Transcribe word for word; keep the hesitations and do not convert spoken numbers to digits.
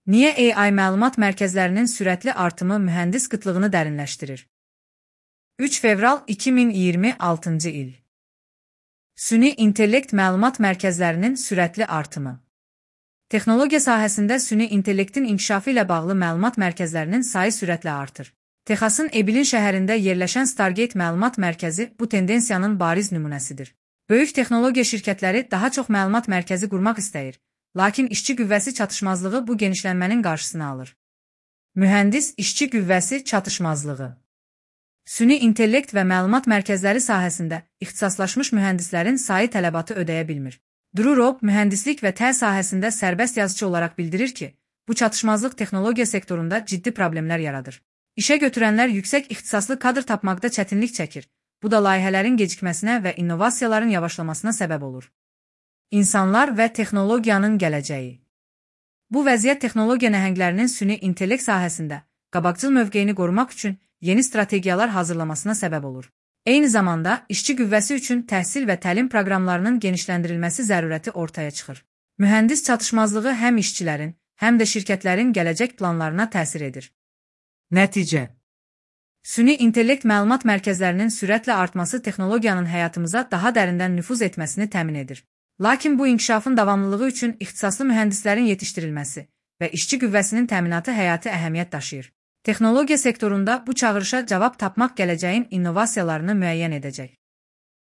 Niyə A I məlumat mərkəzlərinin sürətli artımı mühəndis qıtlığını dərinləşdirir? üç fevral iki min iyirmi altıncı il. Süni intellekt məlumat mərkəzlərinin sürətli artımı. Texnologiya sahəsində süni intellektin inkişafı ilə bağlı məlumat mərkəzlərinin sayı sürətlə artır. Texasın Ebilin şəhərində yerləşən Stargate məlumat mərkəzi bu tendensiyanın bariz nümunəsidir. Böyük texnologiya şirkətləri daha çox məlumat mərkəzi qurmaq istəyir, lakin işçi qüvvəsi çatışmazlığı bu genişlənmənin qarşısını alır. Mühəndis işçi qüvvəsi çatışmazlığı. Süni intellekt və məlumat mərkəzləri sahəsində ixtisaslaşmış mühəndislərin sayı tələbatı ödəyə bilmir. Drew Robb mühəndislik və təl sahəsində sərbəst yazıçı olaraq bildirir ki, bu çatışmazlıq texnologiya sektorunda ciddi problemlər yaradır. İşə götürənlər yüksək ixtisaslı kadr tapmaqda çətinlik çəkir. Bu da layihələrin gecikməsinə və innovasiyaların yavaşlamasına səbəb olur. İnsanlar və texnologiyanın gələcəyi. Bu vəziyyət texnologiya nəhənglərinin süni intellekt sahəsində qabaqcıl mövqeyini qorumaq üçün yeni strategiyalar hazırlamasına səbəb olur. Eyni zamanda, işçi qüvvəsi üçün təhsil və təlim proqramlarının genişləndirilməsi zərurəti ortaya çıxır. Mühəndis çatışmazlığı həm işçilərin, həm də şirkətlərin gələcək planlarına təsir edir. Nəticə. Süni intellekt məlumat mərkəzlərinin sürətlə artması texnologiyanın həyatımıza daha dərindən nüfuz etməsini təmin edir. Lakin bu inkişafın davamlılığı üçün ixtisaslı mühəndislərin yetişdirilməsi və işçi qüvvəsinin təminatı həyati əhəmiyyət daşıyır. Texnologiya sektorunda bu çağırışa cavab tapmaq gələcəyin innovasiyalarını müəyyən edəcək.